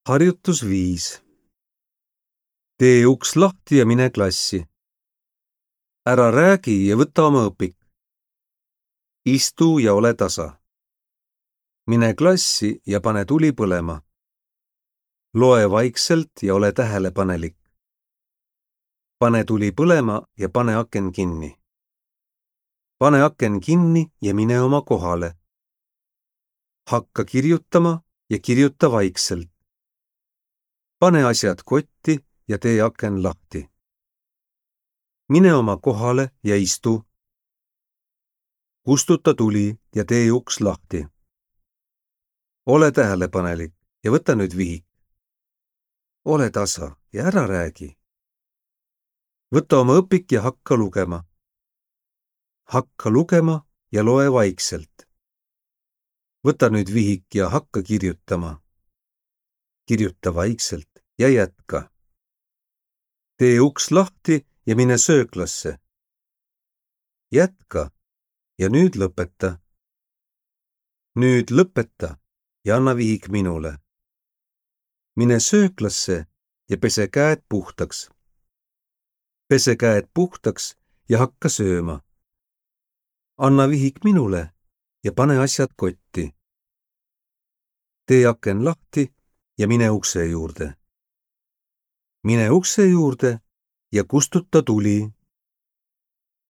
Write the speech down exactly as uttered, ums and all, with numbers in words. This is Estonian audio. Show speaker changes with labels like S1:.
S1: Harjutus viis. Tee uks lahti ja mine klassi. Ära räägi ja võta oma õpik. Istu ja ole tasa. Mine klassi ja pane tuli põlema. Loe vaikselt ja ole tähelepanelik. Pane tuli põlema ja pane aken kinni. Pane aken kinni ja mine oma kohale. Hakka kirjutama ja kirjuta vaikselt. Pane asjad kotti ja tee aken lahti. Mine oma kohale ja istu. Kustuta tuli ja tee uks lahti. Ole tähelepanelik ja võta nüüd vihik. Ole tasa ja ära räägi. Võta oma õpik ja hakka lugema. Hakka lugema ja loe vaikselt. Võta nüüd vihik ja hakka kirjutama. Kirjuta vaikselt ja jätka. Tee uks lahti ja mine sööklasse. Jätka ja nüüd lõpeta. Nüüd lõpeta ja anna vihik minule. Mine sööklasse ja pese käed puhtaks. Pese käed puhtaks ja hakka sööma. Anna vihik minule ja pane asjad kotti. Tee aken lahti ja mine ukse juurde. Mine ukse juurde ja kustuta tuli.